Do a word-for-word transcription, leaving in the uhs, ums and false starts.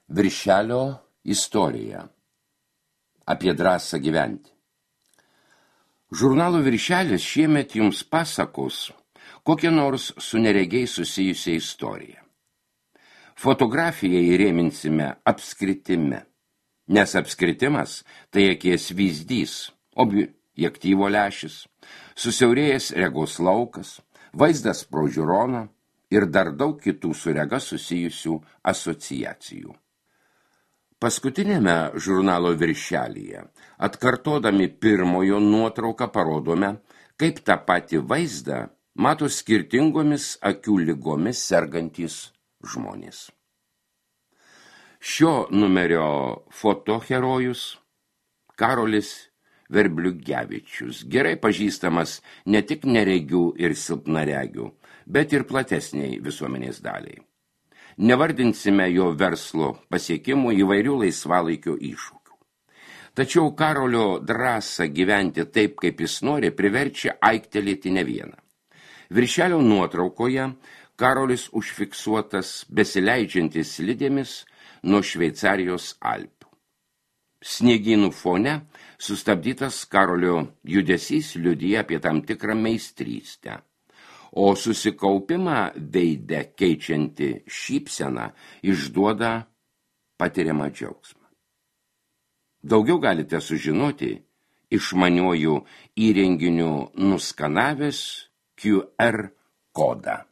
Viršelio istorija. Apie drąsą gyventi. Žurnalo Viršelis šiemet jums pasakos kokią nors su neregiai susijusią istoriją. Fotografiją įrėminsime apskritime, nes apskritimas tai akies vyzdys, objektyvo lęšis, susiaurėjęs regos laukas, vaizdas pro žiūroną ir dar daug kitų su rega susijusių asociacijų. Paskutinėme žurnalo Viršelyje, atkartodami pirmojo nuotrauką parodome, kaip tą patį vaizdą mato skirtingomis akių ligomis sergantys žmonės. Šio numerio fotoherojus Karolis Verbliugevičius, gerai pažįstamas ne tik neregių ir silpnaregių, bet ir platesniai visuomenės daliai. Nevardinsime jo verslo pasiekimų įvairių laisvalaikio iššūkių. Tačiau Karolio drąsą gyventi taip, kaip jis nori, priverčia aiktelėti ne vieną. Viršelio nuotraukoje Karolis užfiksuotas besileidžiantis slidėmis nuo Šveicarijos Alpių. Sniegynų fone sustabdytas Karolio judesys liudija apie tam tikrą meistrystę, o susikaupimą veide keičianti šypseną išduoda patiriamą džiaugsmą. Daugiau galite sužinoti išmaniuoju įrenginiu nuskanavęs Q R kodą.